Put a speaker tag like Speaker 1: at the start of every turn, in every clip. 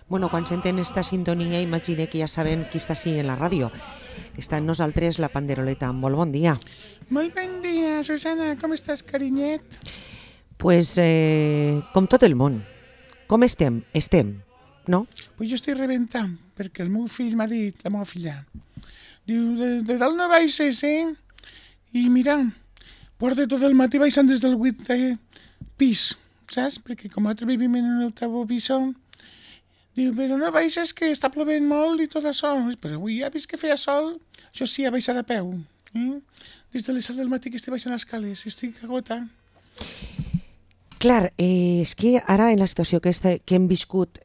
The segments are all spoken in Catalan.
Speaker 1: Bueno, quan senten esta sintonia, imagine que ja saben qui està així en la ràdio. Està en nosaltres la Panderoleta. Molt bon dia.
Speaker 2: Molt bon dia, Susana. Com estàs, carinyet?
Speaker 1: Pues, com tot el món. Com estem? Estem, no?
Speaker 2: Pues jo estic rebentant, perquè el meu fill m'ha dit, la meva filla, diu, de dalt no baixes, I mira, porta tot el matí baixant des del 8è pis, saps? Perquè com nosaltres vivim en un octavo piso, diu, però no baixes que està plovent molt i tot això. Però avui ja vist que feia sol, això sí, ha baixat a peu. Des de les 7 del matí que estic baixant les escales, estic agotant.
Speaker 1: Clar, és que ara en la situació que hem viscut,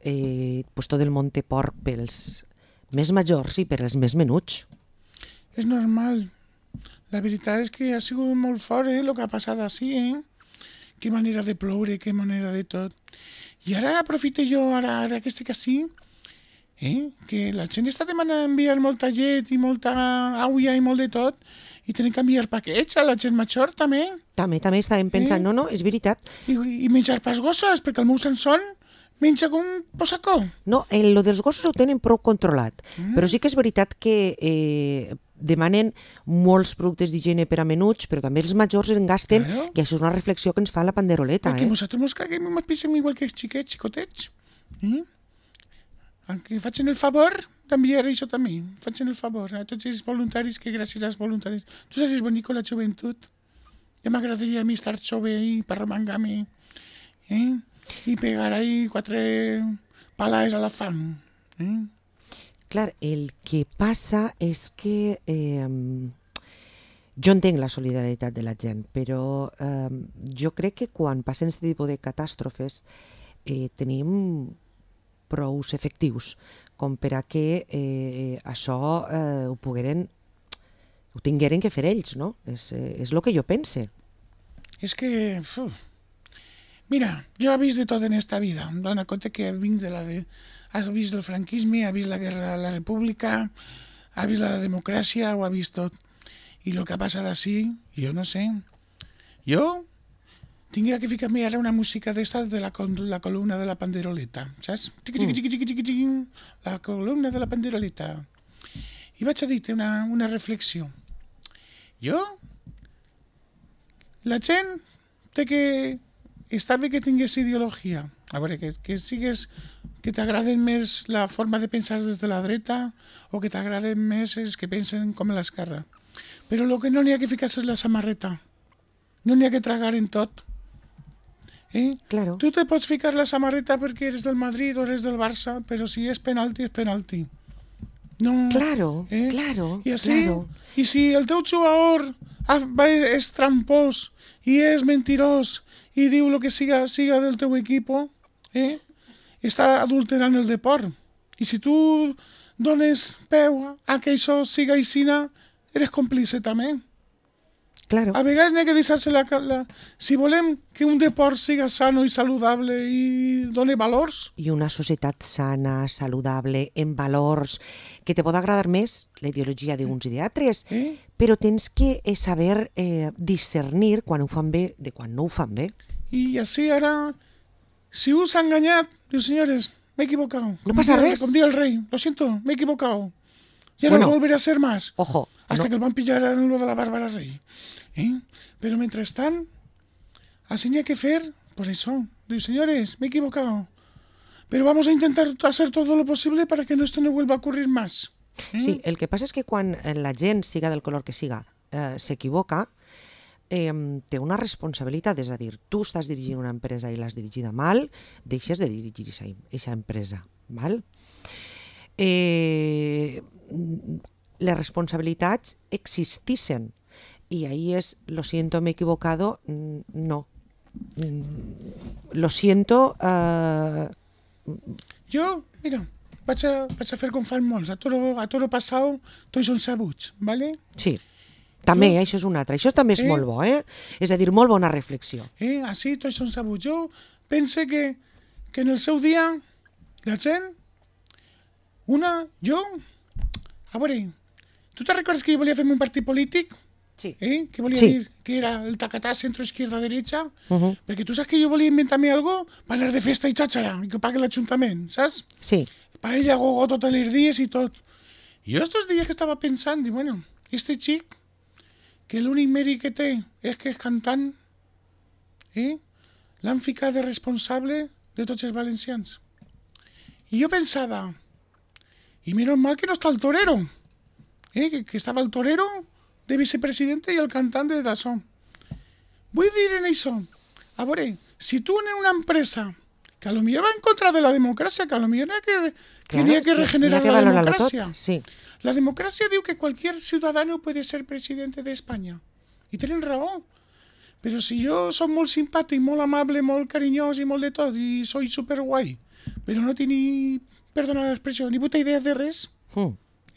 Speaker 1: pues tot el món té por pels més majors i per als més menuts.
Speaker 2: És normal. La veritat és que ha sigut molt fort, el que ha passat així, Que manera de ploure, que manera de tot. I ara aprofito jo, ara que estic així, que la gent està demanant enviar molta llet i molta aigua i molt de tot, i tenen que enviar paquets a la gent major, també.
Speaker 1: També estàvem pensant, no, és veritat.
Speaker 2: I menjar pels gossos, perquè el meu Sansón menja com un possacó.
Speaker 1: No, lo dels gossos ho tenen prou controlat, però sí que és veritat que demanen molts productes d'higiene per a menuts, però també els majors en gasten,
Speaker 2: Claro.
Speaker 1: i això és una reflexió que ens fa la Panderoleta.
Speaker 2: Perquè nosaltres ens caguem i ens pensem igual que els xiquets, xicotets. Que facin el favor d'enviar això també. Facin el favor a tots els voluntaris, que gràcies als voluntaris. Tu saps, és bonic la joventut. Ja m'agradaria a mi estar jove i per remengar-me. I pegar ahí 4 palades a la fam.
Speaker 1: Clar, el que passa és que jo entenc la solidaritat de la gent, però jo crec que quan passen aquest tipus de catàstrofes tenim prous efectius com per a que això ho tingueren que fer ells, no? És el que jo pense.
Speaker 2: És que... Mira, jo he vist de tot en esta vida. Em dono compte que vinc has vist el franquisme, has vist la guerra a la república, has vist la democràcia, ho has vist tot. I el que ha passat així, jo no sé. Jo tindria que ficar-me ara una música d'esta de la columna de la Panderoleta, saps? La columna de la Panderoleta. I vaig a dir-te una reflexió. La gent té que... Està bé que tingués ideologia. A veure, que t'agraden més la forma de pensar des de la dreta o que t'agraden més els que pensen com a l'esquerra. Però el que no n'hi ha que ficar-se és la samarreta. No n'hi ha que tragar en tot.
Speaker 1: Claro.
Speaker 2: Tu te pots ficar la samarreta perquè eres del Madrid o eres del Barça, però si és penalti, és penalti. No,
Speaker 1: Claro, claro,
Speaker 2: I així,
Speaker 1: claro.
Speaker 2: I si el teu jugador és trampós i és mentirós i diu el que siga del teu equip, està adulterant el deport. I si tu dones peu a que això siga aixina, eres còmplice també.
Speaker 1: Claro.
Speaker 2: A vegades n'hi ha que deixar-se si volem que un deport siga sano i saludable i doni valors...
Speaker 1: I una societat sana, saludable, amb valors, que te pot agradar més la ideologia d'uns i d'altres, però tens que saber discernir quan ho fan bé de quan no ho fan bé.
Speaker 2: I així ara, si us ha enganyat, diu, senyores, m'he equivocado.
Speaker 1: No pasa res.
Speaker 2: Com diu el rei, lo siento, m'he equivocado. Ya
Speaker 1: Bueno,
Speaker 2: no volveré a ser más.
Speaker 1: Ojo.
Speaker 2: Hasta
Speaker 1: no.
Speaker 2: que el van pillar en lo de la Bárbara Rey. Pero mientras tanto, así n'hi ha que fer, pues eso. Diu, señores, me he equivocado. Pero vamos a intentar hacer todo lo posible para que esto no vuelva a ocurrir más.
Speaker 1: Sí, el que passa és que quan la gent, siga del color que siga, s'equivoca, té una responsabilitat, és a dir, tu estàs dirigint una empresa i l'has dirigida mal, deixes de dirigir aquesta empresa, val? Les responsabilitats existixen i ahí és, lo siento, me he equivocado, no. Lo siento...
Speaker 2: Jo, mira, vaig a fer com fan molts. A toro passau, tots són sabuts, ¿vale?
Speaker 1: Sí, també, això és un altre. Això també és molt bo, És a dir, molt bona reflexió.
Speaker 2: Així tots són sabuts. Jo pense que en el seu dia, la gent, a veure, tu te recordes que jo volia fer un partit polític?
Speaker 1: Sí.
Speaker 2: Que volia
Speaker 1: Sí.
Speaker 2: dir que era el tacatà centro-izquierda-derecha, perquè tu saps que jo volia inventar-me algo per anar de festa i xàxara, i que pagui l'Ajuntament, saps?
Speaker 1: Sí.
Speaker 2: Paella, gogo, tots els dies i tot. I jo estos dies que estava pensant, dic, bueno, este xic, que l'únic mèrit que té és que és cantant, l'han ficat de responsable de tots els valencians. I jo pensava, i menos mal que no està el torero, que estava el torero de vicepresidente i el cantant de d'això. Vull dir en això, a veure, si tu en una empresa que a lo millor va en contra de la democràcia, que a lo millor n'hi ha que regenerar la democràcia.
Speaker 1: Sí.
Speaker 2: La democràcia diu que cualquier ciudadano puede ser presidente de España. I tenen raó. Però si jo soc molt simpàtic, molt amable, molt carinyós i molt de tot, i soy superguai, però no tinc ni, perdona l'expressió, ni puta idea de res,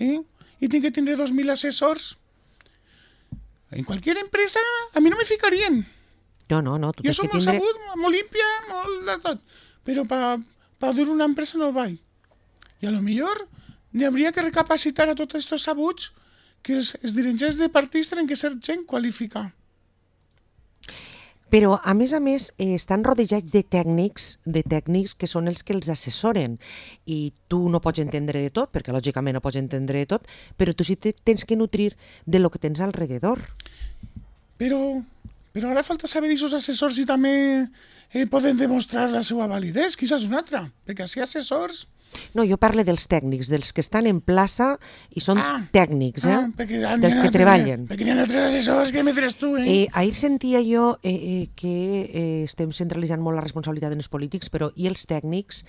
Speaker 2: i tinc que tindre 2.000 assessors, en cualquier empresa a mi no me ficarien.
Speaker 1: No, tu
Speaker 2: Jo
Speaker 1: tens
Speaker 2: soc
Speaker 1: que
Speaker 2: molt
Speaker 1: tindre...
Speaker 2: sabut, molt límpia, molt de tot, però per dur una empresa no vaig. I a lo millor n'hi hauria que recapacitar a tots aquests sabuts que els dirigents de partits tenen que ser gent qualificada.
Speaker 1: Però, a més, estan rodejats de tècnics que són els que els assessoren. I tu no pots entendre de tot, perquè lògicament no pots entendre de tot, però tu sí tens que nutrir de lo que tens alrededor.
Speaker 2: Però ara falta saber aquests assessors si també poden demostrar la seva validesa, quizás una altra, perquè així assessors...
Speaker 1: No, jo parlo dels tècnics, dels que estan en plaça i són tècnics, dels que treballen.
Speaker 2: Perquè hi ha altres assessors que m'hi tu,
Speaker 1: Ahir sentia jo que estem centralitzant molt la responsabilitat en els polítics, però i els tècnics...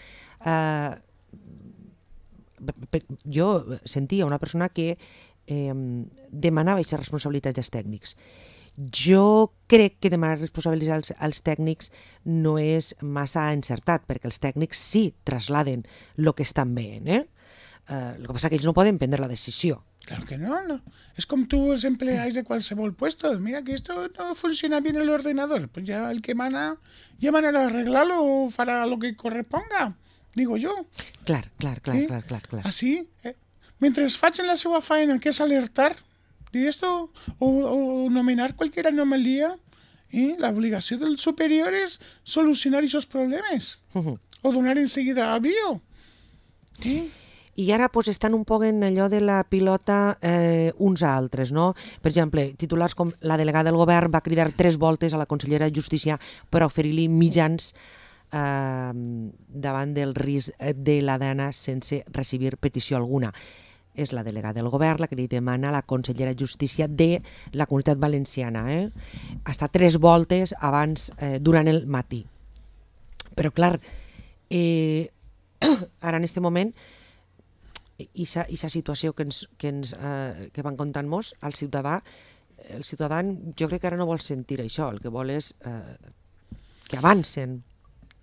Speaker 1: Jo sentia una persona que demanava aquesta responsabilitat als tècnics. Jo crec que demanar responsabilitats als tècnics no és massa encertat, perquè els tècnics sí trasladen el que estan veient. El que passa que ells no poden prendre la decisió.
Speaker 2: Claro que no. Es como tú los empleáis de cualquier puesto. Mira que esto no funciona bien en el ordenador. Pues ya el que mana, ya manera de arreglarlo o fará lo que corresponda, digo yo.
Speaker 1: Clar.
Speaker 2: Así, mientras facin la seva faena, que es alertar de esto o nominar cualquier anomalía, la obligació del superior és solucionar aquests problemes o donar enseguida avió.
Speaker 1: I ara estan un poc en allò de la pilota uns a altres, no? Per exemple, titulars com la delegada del govern va cridar 3 voltes a la consellera de Justícia per oferir-li mitjans davant del risc de la dana sense recibir petició alguna. És la delegada del govern la que li demana a la consellera de Justícia de la Comunitat Valenciana. Hasta 3 voltes abans, durant el matí. Però, clar, ara en aquest moment, aquesta situació que van contant-nos, el ciutadà jo crec que ara no vol sentir això, el que vol és que avancen.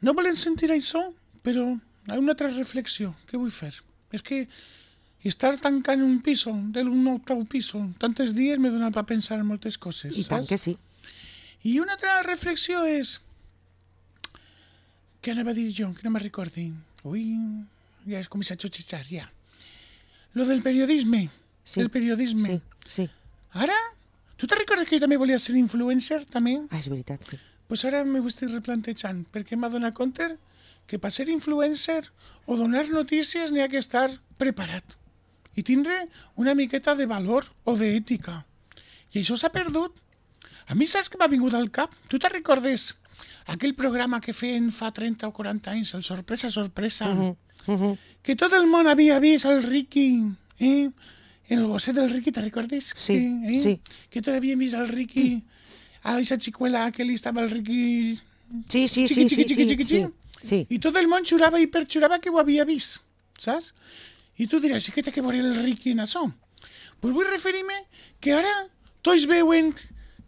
Speaker 2: No volen sentir això, però hi ha una altra reflexió que vull fer. És que estar tancant un piso, d'un 8º piso, tantes dies m'he donat a pensar en moltes coses.
Speaker 1: I tant que sí.
Speaker 2: I una altra reflexió és... Què anava a dir jo? Que no me'n recordi. Ui, ja és com a xutxitxar, ja. Lo del periodisme.
Speaker 1: Sí.
Speaker 2: El periodisme.
Speaker 1: Sí.
Speaker 2: Ara, tu te recordes que jo també volia ser influencer, també?
Speaker 1: És veritat, sí.
Speaker 2: Pues ara m'ho estic replantejant, perquè m'ha donat compte que per ser influencer o donar notícies n'hi ha que estar preparat i tindre una miqueta de valor o d'ètica. I això s'ha perdut. A mi saps que m'ha vingut al cap? Tu te recordes aquell programa que feien fa 30 o 40 anys, el Sorpresa, Sorpresa, que tot el món havia vist el Ricky, el gosset del Ricky, te recordes?
Speaker 1: Sí.
Speaker 2: Que tot havien vist el Ricky, a aquesta xicuela que li estava el Ricky...
Speaker 1: Sí.
Speaker 2: I tot el món xurava i perxurava que ho havia vist, saps? I tu diràs, sí que té que veure el Ricky en això. Pues vull referir-me que ara tots veuen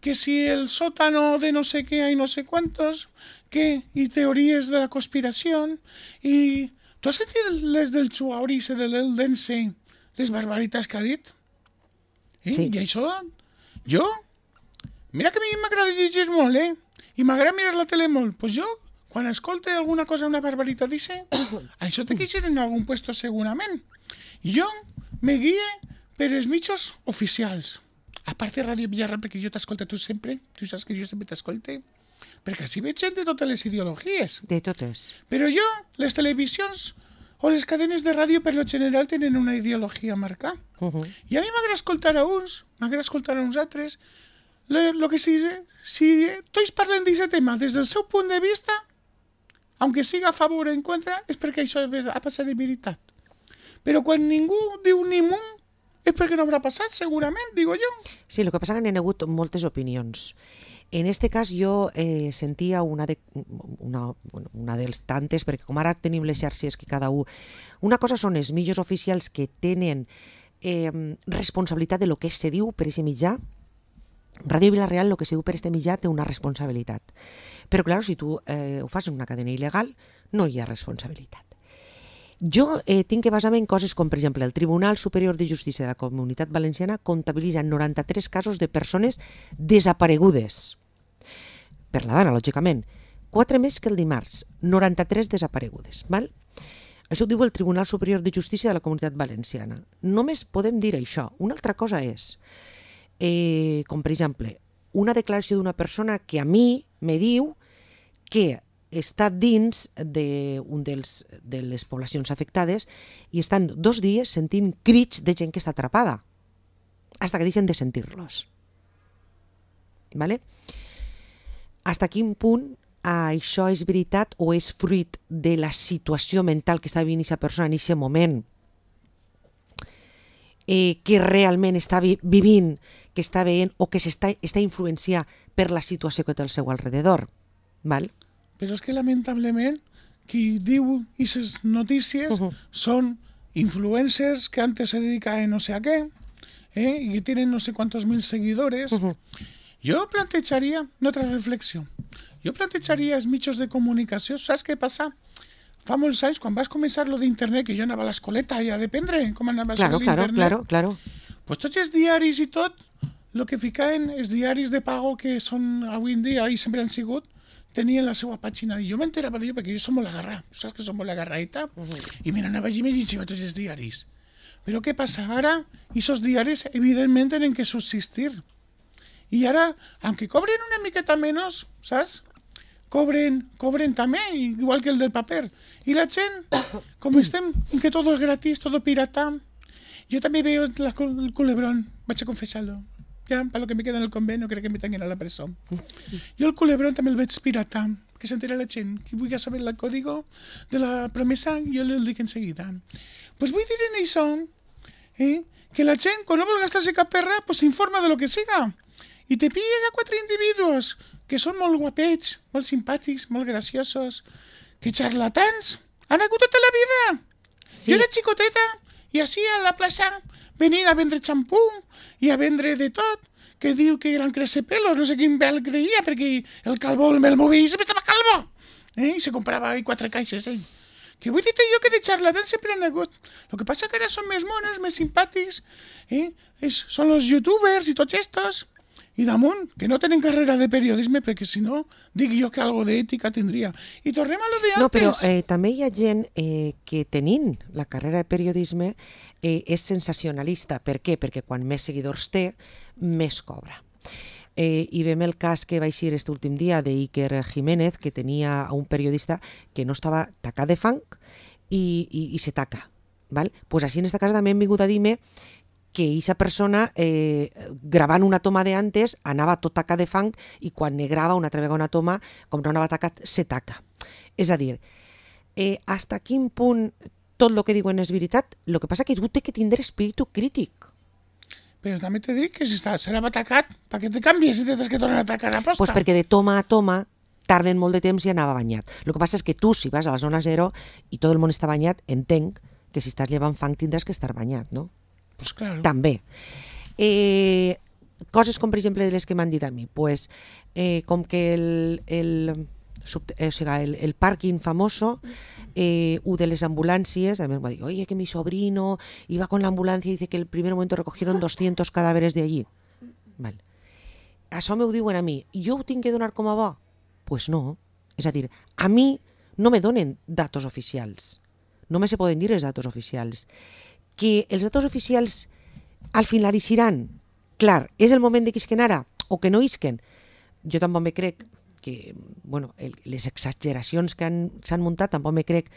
Speaker 2: que si el sótano de no sé què i no sé quantos, i teories de la conspiració, i... Tu has sentit les del Chuauri i de l'Eldense, les barbaritats que ha dit?
Speaker 1: Sí.
Speaker 2: I això, jo... Mira que a mi m'agrada llegir molt, i m'agrada mirar la tele molt. Pues jo, quan escolte alguna cosa, una barbaritat, dice, això té que ser en algun puesto segurament. Jo me guie per els mitjos oficials. A part de Ràdio Villarreal, perquè jo t'escolto tu sempre, tu saps que jo sempre t'escolte, perquè així veig gent de totes les ideologies.
Speaker 1: De totes.
Speaker 2: Però jo, les televisions o les cadenes de ràdio per lo general tenen una ideologia marcada. I a mi m'agrada escoltar a uns, m'agrada escoltar a uns altres. Lo que si tots parlen d'aquest tema des del seu punt de vista, aunque siga a favor o en contra, és perquè això ha passat de veritat. Però quan ningú diu ni mu, és perquè no haurà passat, segurament, digo jo.
Speaker 1: Sí, el que passa és que n'hi ha hagut moltes opinions. En este cas jo sentia una dels tantes, perquè com ara tenim les xarxes que cada un... Una cosa són els mitjans oficials que tenen responsabilitat de lo que se diu per aquest mitjà. Ràdio Vila-real, el que se diu per aquest mitjà, té una responsabilitat. Però, clar, si tu ho fas en una cadena il·legal, no hi ha responsabilitat. Jo tinc que basar-me en coses com, per exemple, el Tribunal Superior de Justícia de la Comunitat Valenciana comptabilitza 93 casos de persones desaparegudes. Per la dana, lògicament. 4 més que el dimarts. 93 desaparegudes. Val? Això ho diu el Tribunal Superior de Justícia de la Comunitat Valenciana. Només podem dir això. Una altra cosa és, com per exemple, una declaració d'una persona que a mi me diu que està dins de les poblacions afectades i estan 2 dies sentint crits de gent que està atrapada, hasta que deixen de sentir-los. ¿Vale? Hasta quin punt això és veritat o és fruit de la situació mental que està vivint aquesta persona en aquest moment, que realment està vivint, que està veient o que està influenciat per la situació que té al seu alrededor. Val?
Speaker 2: Però és que lamentablement qui diu aquestes notícies són influencers que antes se dedicaven no sé a què, y que tienen no sé cuántos mil seguidores. Jo plantejaria una altra reflexió. Jo plantejaria els mitjans de comunicació. Saps què passa? Fa molts anys, quan vas començar lo d'internet, que jo anava a l'escoleta i a dependre com anava a l'internet,
Speaker 1: claro.
Speaker 2: Pues tots els diaris i tot, el que ficaven els diaris de pago que són avui en dia i sempre han sigut, tenien la seva pàgina, i jo m'enterava d'ello perquè jo som molt agarrat, saps que som molt agarradita? I me n'anava allí i me llegiva tots els diaris. Però què passa? Ara, aquests diaris evidentment tenen que subsistir. I ara, aunque cobren una miqueta menys, saps? Cobren també, igual que el del paper. I la gent, com estem, que todo es gratis, todo pirata, jo també veo el culebrón, vaig a confessar-lo. Ja, per lo que me queda en el convent, no crec que me tanquen a la presó. Jo el culebrón també el veig pirata, que s'entera la gent. Qui vulgui saber el código de la promesa, jo el dic enseguida. Pues vull dir en això, que la gent, quan no vol gastar-se cap perra, pues s'informa de lo que siga. I te pilles a 4 individus que són molt guapets, molt simpàtics, molt graciosos, que charlatans han hagut tota la vida. Sí. Jo era xicoteta i així a la plaça venien a vendre xampú i a vendre de tot, que diu que eren crecepelos, no sé quin vel creia, perquè el calvo me'l movia i sempre estava calvo. I se comprava 4 caixes, Que vull dir-te jo que de charlatans sempre han hagut. El que passa que ara són més monos, més simpàtics, són els youtubers i tots estos. I damunt, que no tenen carrera de periodisme, perquè si no, dic jo que algo d'ètica tindria. I tornem a lo de antes.
Speaker 1: No, però també hi ha gent que tenint la carrera de periodisme és sensacionalista. Per què? Perquè quan més seguidors té, més cobra. I vem el cas que va eixir aquest últim dia d'Iker Jiménez, que tenia un periodista que no estava tacat de fang i se taca. Pues així en aquest cas també hem vingut a dir-me que aquesta persona, gravant una toma de antes, anava tot tacat de fang i quan ne grava una altra vegada una toma, com no anava tacat, se taca. És a dir, hasta quin punt tot el que diuen és veritat? El que passa que tu té que tindre espíritu crític.
Speaker 2: Però també t'he dit que si serà atacat, per què te canvies si tens que tornar a atacar a posta?
Speaker 1: Pues perquè de toma a toma tarden molt de temps i anava banyat. El que passa és que tu, si vas a la zona zero i tot el món està banyat, entenc que si estàs llevant fang tindràs que estar banyat, no?
Speaker 2: Pues claro.
Speaker 1: També. Coses com, per exemple, de les que m'han dit a mi. Pues, com que el pàrquing famoso, u de les ambulàncies, a mi em va dir, oye, que mi sobrino iba con la ambulancia y dice que el primer momento recogieron 200 cadáveres de allí. Vale. Això m'ho diuen a mi. Jo ho tinc que donar com a bo? Pues no. És a dir, a mi no me donen datos oficials. No me se poden dir els datos oficials. Que els datos oficials al final eixiran? clar, és el moment de que isquen ara o que no isquen. Jo tampoc me crec que, bueno, les exageracions que s'han muntat tampoc me crec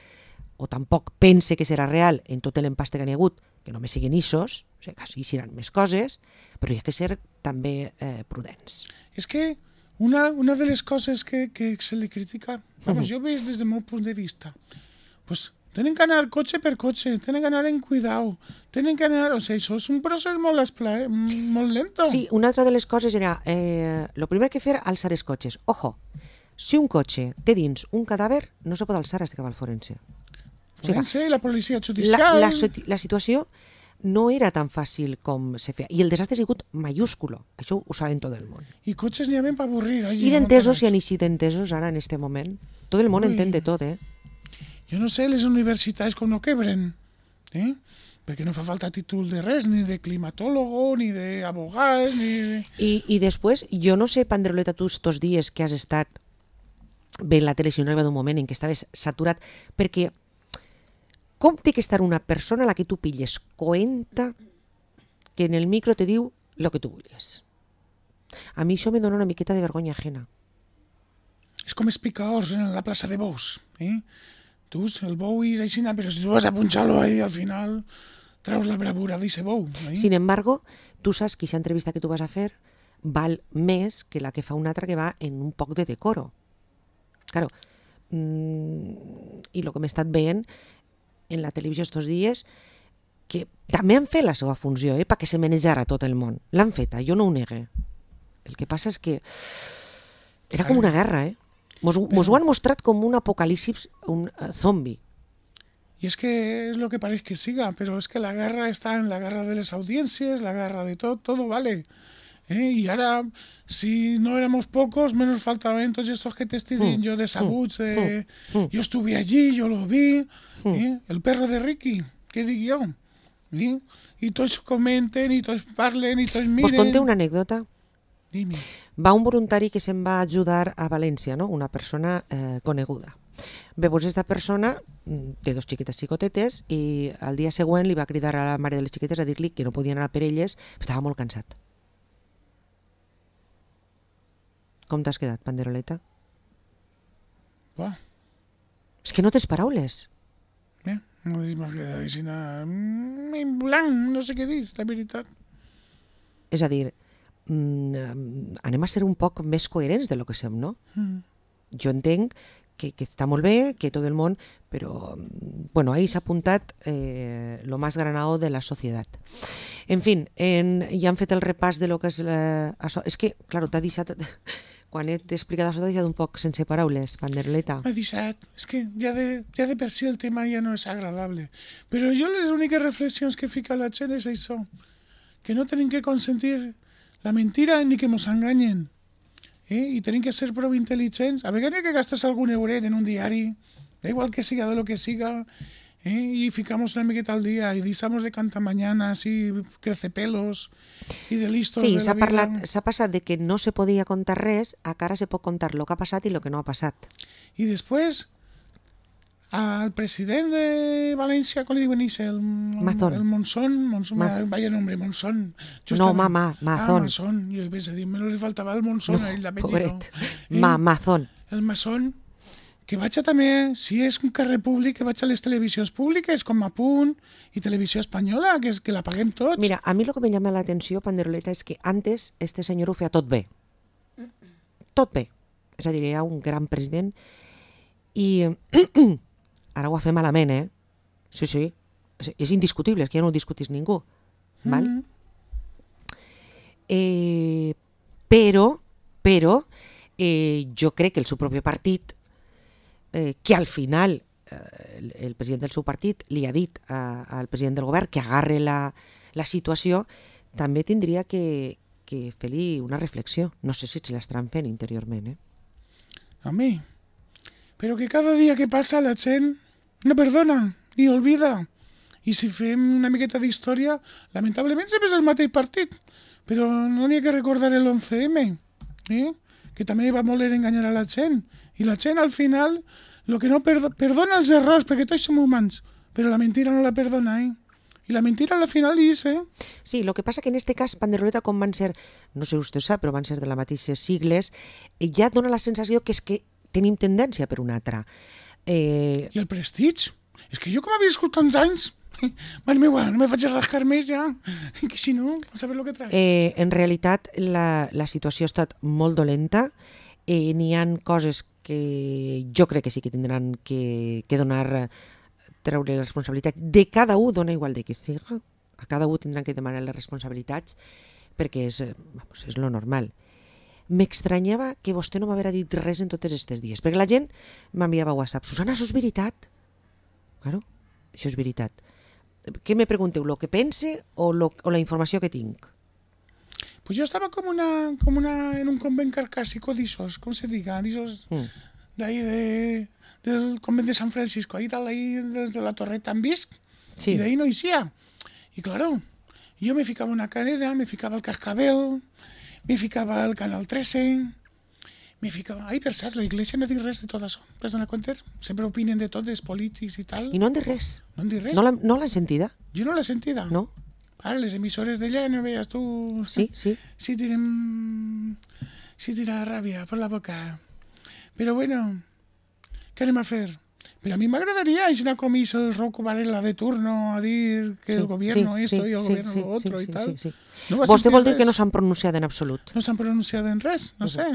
Speaker 1: o tampoc pense que serà real en tot l'empaste que n'hi ha hagut, que només siguin issos, o sigui, que sí seran més coses, però hi ha que ser també prudents.
Speaker 2: És que una de les coses que se li critica, vamos, jo veig des del meu punt de vista, pues tenen que anar cotxe per cotxe, tenen que anar en cuidao, tenen que anar... O sigui, això és un procés molt lento.
Speaker 1: Sí, una altra de les coses era, lo primer que fer, alçar els cotxes. Ojo, si un cotxe té dins un cadàver, no se pot alçar fins que va al forense.
Speaker 2: Forense, la policia judicial...
Speaker 1: La situació no era tan fàcil com se feia. I el desastre ha sigut mayúsculo. Això ho saben tot el món.
Speaker 2: I cotxes n'hi ha ben per avorrir.
Speaker 1: I d'entesos, hi ha eixit d'entesos ara en este moment. Tot el món entén de tot,
Speaker 2: Jo no sé, les universitats com no quebren, perquè no fa falta títol de res, ni de climatólogo, ni d'abogat, ni de...
Speaker 1: I després, jo no sé, Pandroleta, tu estos dies que has estat veient la tele, si no arriba d'un moment en què estaves saturat, perquè com té que estar una persona a la que tu pilles coenta que en el micro te diu el que tu vulguis? A mi això me dona una miqueta de vergonya ajena.
Speaker 2: És com els picaors en la plaça de bous, Tu, el bou és així, però si tu vas a punxar-lo ahí, al final treus la bravura d'eixe bou.
Speaker 1: Sin embargo, tu saps que aquesta entrevista que tu vas a fer val més que la que fa una altra que va en un poc de decoro. Claro, i el que m'he estat veient en la televisió estos dies, que també han fet la seva funció, perquè se menejara tot el món. L'han feta, jo no ho negue. El que passa és que era com una guerra, Mos ho han mostrat com un apocalipsis, un zombi.
Speaker 2: I és que és el que pareix que siga, però és que la guerra està en la guerra de les audiències, la guerra de tot vale. I ara, si no éramos pocos, menos faltaven tots estos que t'estic dient jo de sabuts, jo estuve allí, jo lo vi, el perro de Ricky, què dic jo? I tots comenten, i tots parlen, i tots miren...
Speaker 1: Vos conté una anècdota?
Speaker 2: Dime.
Speaker 1: Va un voluntari que se'n va ajudar a València, no? Una persona coneguda. Bé, doncs aquesta persona té 2 xiquetes xicotetes i al dia següent li va cridar a la mare de les xiquetes a dir-li que no podia anar per elles, estava molt cansat. Com t'has quedat, Panderoleta?
Speaker 2: Va.
Speaker 1: És que no tens paraules.
Speaker 2: No m'ha quedat així en blanc, no sé què dir, la veritat.
Speaker 1: És a dir, anem a ser un poc més coherents de lo que som, no? Jo entenc que està molt bé, que tot el món, però bueno, ahí s'ha apuntat lo más granado de la societat. En fin, ja han fet el repàs de lo que és això. És que, clar, t'ha deixat... Quan he explicat això t'ha deixat un poc sense paraules, Panderoleta.
Speaker 2: M'ha deixat. És que ja de per si el tema ja no és agradable. Però jo les úniques reflexions que fica la gent és això, que no tenim que consentir la mentira ni que mos enganyen. I tenim que ser prou intel·ligents. A vegades que gastes algun euret en un diari, da igual que siga de lo que siga, y ficamos una miqueta al día y disamos de cantamañanas y crecepelos y de listos
Speaker 1: sí,
Speaker 2: de la vida.
Speaker 1: S'ha passat de que no se podia contar res a que ara se pot contar lo que ha passat i lo que no ha passat.
Speaker 2: I després, al president de València, com li diuen el
Speaker 1: Mazón.
Speaker 2: El Monzón, vaya nombre, Monzón.
Speaker 1: No, Mazón.
Speaker 2: Mazón, jo vaig a dir, menos li faltava el Monzón,
Speaker 1: no,
Speaker 2: ell l'apellido.
Speaker 1: Pobret. Mazón.
Speaker 2: El Mazón, que vaig a també, si és un carrer públic, que vaig a les televisions públiques, com a Punt i Televisió Espanyola, que la paguem tots.
Speaker 1: Mira, a mi el que me llama l'atenció, Panderoleta, és que antes este senyor ho feia tot bé. Tot bé. És a dir, hi ha un gran president i ara ho ha fet malament, Sí. És indiscutible, és que ja no ho discutís ningú. Val? Però jo crec que el seu propi partit, que al final el president del seu partit li ha dit al president del govern que agarre la situació, també tindria que fer-li una reflexió. No sé si se l'estaran fent interiorment.
Speaker 2: A mi. Però que cada dia que passa la gent no perdona i olvida. I si fem una miqueta d'història, lamentablement sempre és el mateix partit. Però no n'hi ha que recordar l'11M, que també va voler enganyar a la gent. I la gent, al final, el que no perdona els errors, perquè tots som humans, però la mentira no la perdona, I la mentira al final és,
Speaker 1: Sí, lo que passa que en este cas Panderoleta, com van ser, no sé si vostè sap, però van ser de les mateixes sigles, ja dona la sensació que és que tenim tendència per una altra.
Speaker 2: I el Prestige? És que jo com havia viscut tants anys, mare meva, no me faig rascar més ja, que si no, a saber lo que trac.
Speaker 1: En realitat, la situació ha estat molt dolenta. N'hi ha coses que jo crec que sí que tindran que donar, treure les responsabilitats de cada un, dona igual de qui siga, a cada un tindran que demanar les responsabilitats perquè és lo normal. M'extranyava que vostè no m'haguera dit res en tots aquests dies, perquè la gent m'enviava WhatsApp: Susana, això és veritat? Claro, això és veritat. Què me pregunteu, lo que pense o la informació que tinc?
Speaker 2: Pues yo estaba como en un convent carcásico de esos, ¿cómo se diga? De esos, de ahí del convent de San Francisco, ahí tal, ahí desde la Torreta en Visc,
Speaker 1: Sí.
Speaker 2: y de ahí no hicía. Y claro, yo me ficaba una cadena, me ficaba el cascabel, me ficaba el Canal 13, me ficava... Ai, per cert, la Iglesia no diu res de tot això, t'has donat compte? Sempre opinen de tot, dels polítics i tal.
Speaker 1: I no en de res?
Speaker 2: No en diu res.
Speaker 1: No l'han sentida?
Speaker 2: Jo no l'he sentida.
Speaker 1: No?
Speaker 2: Ara, les emissores d'allà, no veies tu...
Speaker 1: Sí, sí.
Speaker 2: Sí tira ràbia per la boca. Però bueno, què anem a fer? Pero a mí me agradaría ir a comis el Rocco Varela de turno a dir que el gobierno esto y el gobierno lo otro y tal.
Speaker 1: Sí.
Speaker 2: No va
Speaker 1: Vostè vol dir
Speaker 2: res.
Speaker 1: que no s'han pronunciat en absolut?
Speaker 2: No s'han pronunciat en res, no sé.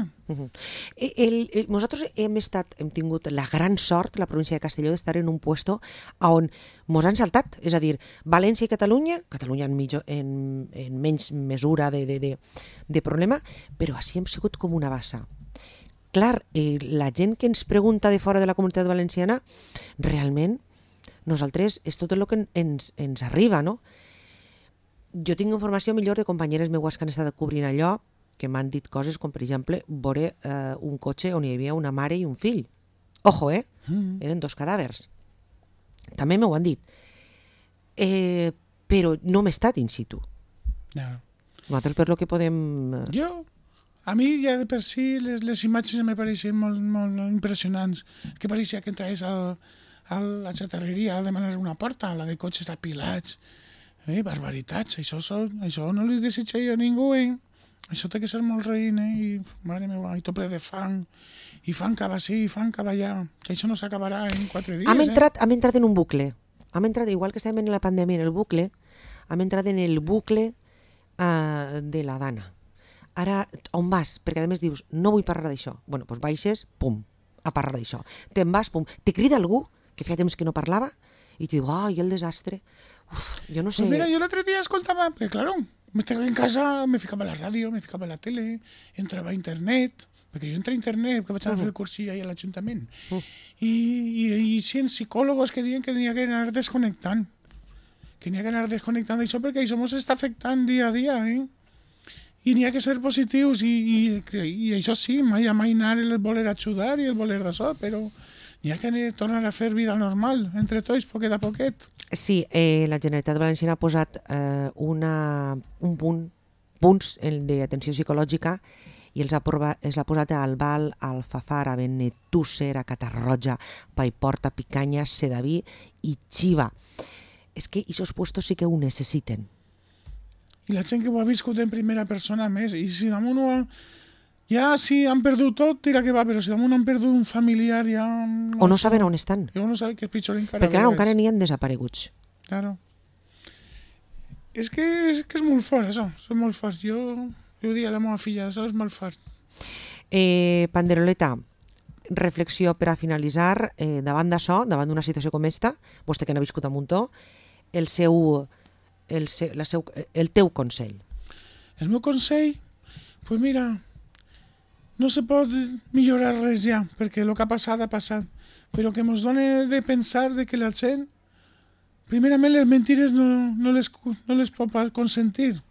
Speaker 1: Nosaltres hem tingut la gran sort, la província de Castelló, d'estar en un puesto on mos han saltat. És a dir, València i Catalunya en menys mesura de problema, però així hem sigut com una bassa. Clar, la gent que ens pregunta de fora de la comunitat valenciana, realment, nosaltres és tot el que ens arriba, no? Jo tinc informació millor de companyeres meues que han estat cobrint allò, que m'han dit coses com, per exemple, veure un cotxe on hi havia una mare i un fill. Ojo, eren 2 cadàvers. També m'ho han dit. Però no m'he estat in situ.
Speaker 2: No.
Speaker 1: Nosaltres per lo que podem...
Speaker 2: A mi ja de per si les imatges me pareixen molt impressionants. Que pareixia que entraves a la xatarreria a demanar una porta, la de cotxes apilats. Barbaritats, això no li desitja jo a ningú, Això té que ser molt reïn, I, mare meva, i tot ple de fang. I fang cap així, i fang cap allà. Que això no s'acabarà en 4 dies,
Speaker 1: Hem entrat en un bucle. Hem entrat, igual que estàvem en la pandèmia, en el bucle, hem entrat en el bucle de la Dana. Ara, on vas? Perquè a més dius, no vull parlar d'això. Bueno, doncs baixes, pum, a parlar d'això. Te'n vas, pum. Te crida algú, que feia temps que no parlava, i te diu, ai, el desastre. Uf, jo no sé...
Speaker 2: Pues mira, yo el otro día escoltaba, porque claro, me estaba en casa, me ficaba a la ràdio, me ficava a la tele, entrava a internet, perquè jo entré a internet, que vaig anar a fer el cursillo ahí a l'Ajuntament. I sí, psicòlogos que diuen que n'hi ha que anar desconnectant. Que n'hi ha que anar desconnectant d'això perquè això ens està afectant dia a dia, I n'hi ha que ser positius i això sí, mai anar el voler ajudar i el voler d'això, però n'hi ha que tornar a fer vida normal, entre tots, poquet a poquet.
Speaker 1: Sí, la Generalitat Valenciana ha posat punts d'atenció psicològica i els ha posat a Albal, a Alfafar, a Benetússer, a Catarroja, Paiporta, Picanya, Sedaví i Xiva. És que aquests puestos sí que ho necessiten.
Speaker 2: I la gent que ho ha viscut en primera persona més, i si damunt ja si han perdut tot, tira que va, però si damunt han perdut un familiar ja...
Speaker 1: O no saben on estan.
Speaker 2: O no saben que és pitjor encara.
Speaker 1: Perquè ara encara n'hi ha desapareguts.
Speaker 2: Claro. És que és molt fort, això. És molt fort. Jo ho dic a la meva filla, això és molt fort.
Speaker 1: Panderoleta, reflexió per a finalitzar, davant d'això, davant d'una situació com esta, vostè que n'ha viscut a muntó, el teu consell.
Speaker 2: El meu consell? Pues mira, no se pot millorar res ja, perquè el que ha passat, però que ens dona de pensar de que la gent, primerament les mentires no les pot consentir.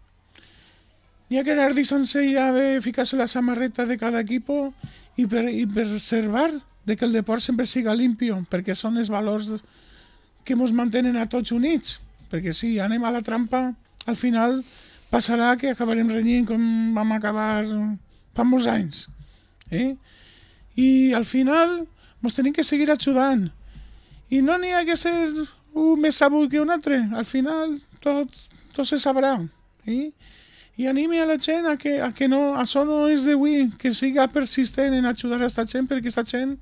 Speaker 2: N'hi ha que anar deixant-se ja de ficar-se la samarreta de cada equip i preservar de que el deport sempre siga limpio, perquè són els valors que ens mantenen a tots units. Perquè si anem a la trampa, al final passarà que acabarem renyint com vam acabar fa molts anys. I al final ens tenim que seguir ajudant. I no n'hi ha que ser un més sabut que un altre. Al final tot se sabrà. I anime a la gent a que no, això no és d'avui, que siga persistent en ajudar a esta gent, perquè esta gent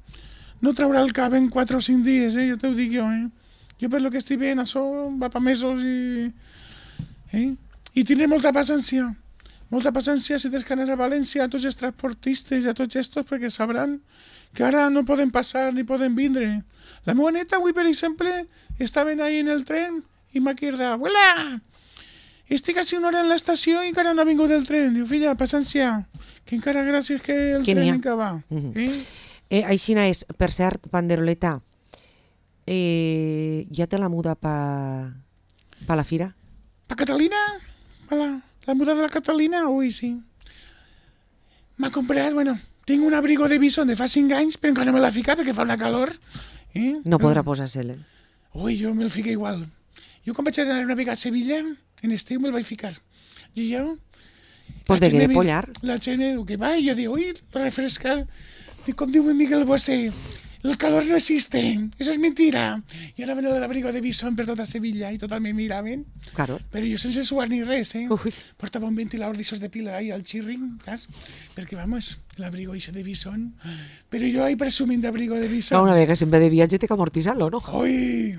Speaker 2: no traurà el cap en 4 o 5 dies, ja t'ho dic jo. Jo per lo que estic veient, això va pa mesos i tindré molta paciència si tens que anar a València, a tots els transportistes i a tots estos, perquè sabran que ara no poden passar ni poden vindre. La meva neta avui, per exemple, estaven ahí en el tren i m'ha cridat, abuela, estic a 5 hores en l'estació i encara no ha vingut el tren. Diu, filla, paciència, que encara gràcies que el tren encara va.
Speaker 1: Aixina és, per cert, Panderoleta, ja té la muda pa la fira?
Speaker 2: Pa Catalina? La muda de la Catalina? Ui, sí. M'ha comprat, tinc un abrigo de bison de fa 5 anys, però encara no me l'ha ficat perquè fa una calor.
Speaker 1: No podrà posar-se-la.
Speaker 2: Ui, jo me'l fico igual. Jo quan vaig anar una vegada a Sevilla, en estiu me'l vaig ficar. I jo...
Speaker 1: Pues de què de pollar?
Speaker 2: La gent que va i jo dic, ui, refresca. I com diu Miguel Bosé, el calor no existe, eso es mentira. I ara ven l'abrigo de bison per tota Sevilla i total me miraven.
Speaker 1: Claro.
Speaker 2: Però jo sense suar ni res,
Speaker 1: Ui.
Speaker 2: Portava un ventilador d'aixòs de pila ahí al chirring, saps? Perquè, vamos, l'abrigo ese de bison. Però jo ahí presumint d'abrigo de bison.
Speaker 1: Una vegada sempre de viatge té que amortitzar-lo, no?
Speaker 2: Ui!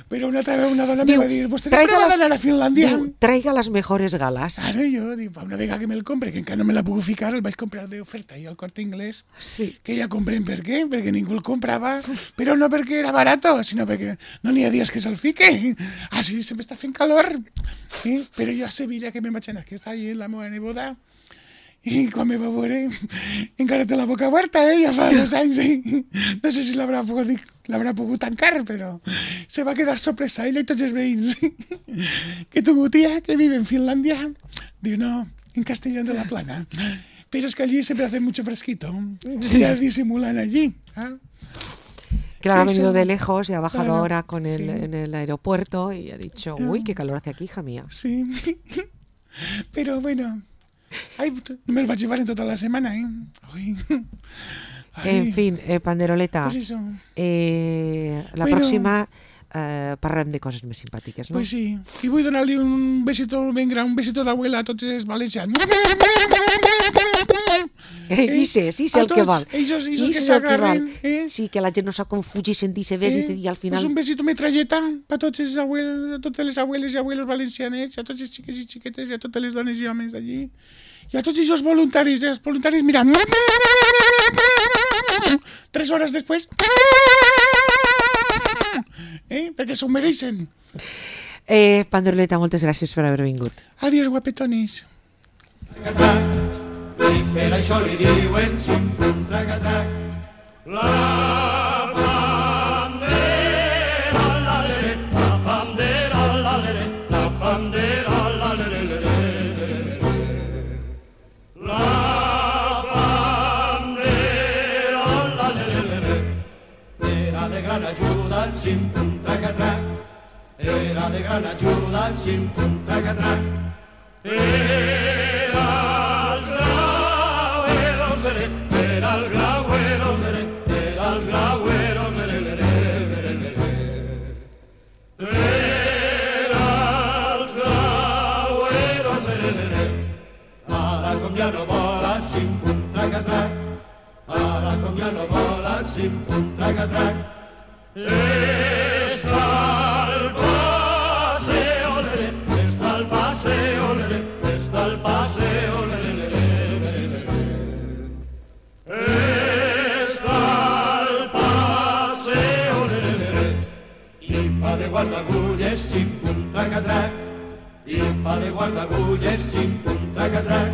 Speaker 2: Però una altra vegada una dona me va dir, vostè no prova d'anar a Finlàndia?
Speaker 1: Diu, traiga les mejores galas.
Speaker 2: Ara jo dic, una vegada que me'l compre, que encara no me la puc ficar, el vaig comprar d'oferta i al Corte Inglés, que ja comprem per què, perquè ningú el comprava, però no perquè era barato, sinó perquè no n'hi ha dies que se'l fique. Així sempre està fent calor. Però jo a Sevilla, que me'n vaig anar, que està allà la meva neboda, i quan me va veure, encara té la boca oberta, ja fa 2 anys, no sé si l'haurà pogut tancar, però se va quedar sorpresa, ella i tots els veïns. Que tu tia, que vive en Finlàndia, diu, no, en Castellón de la Plana, pero es que allí siempre hace mucho fresquito, ya disimulan allí.
Speaker 1: Claro, ha venido de lejos y ha bajado ahora en el aeropuerto y ha dicho, uy, qué calor hace aquí, hija mía.
Speaker 2: Sí, pero bueno... Ai, no me'l vaig llevar en tota la setmana, Ai.
Speaker 1: En fin, Panderoleta,
Speaker 2: pues eso.
Speaker 1: La pròxima parlem de coses més simpàtiques, no?
Speaker 2: Pues sí, i vull donar-li un besito ben gran, un besito d'abuela a tots els valencians.
Speaker 1: Sí, el que val.
Speaker 2: Ells que s'agarren.
Speaker 1: Sí, que la gent no sap com fugir, sentir-se bé i al final...
Speaker 2: Pues un besito metralleta a totes les abueles i abuelos valencianets, a tots els xiques i xiquetes i a totes les dones i homes d'allí. I a tots els voluntaris, els voluntaris, mira... 3 hores després... perquè s'ho mereixen.
Speaker 1: Panderoleta, moltes gràcies per haver vingut.
Speaker 2: Adiós, guapetonis.
Speaker 3: I per això li diuen xim-pum-trac-a-trac. La bandera, la-lere, la bandera, la-lere, la bandera, la-lere-lere. La bandera, la-lere-lere. Era de gran ajuda en xim-pum-trac-a-trac. Era de gran ajuda en xim-pum-trac-a-trac. Ja no volen xim-pum-trac-a-trac, ara com ja no volen xim-pum-trac-a-trac. Està el paseo, lere, està el paseo, lere, està el paseo, lere, lere, lere. Està el paseo, lere, lere, i fa de guardagulles xim-pum-trac-a-trac, i fa de guardagulles xim-pum-trac-a-trac.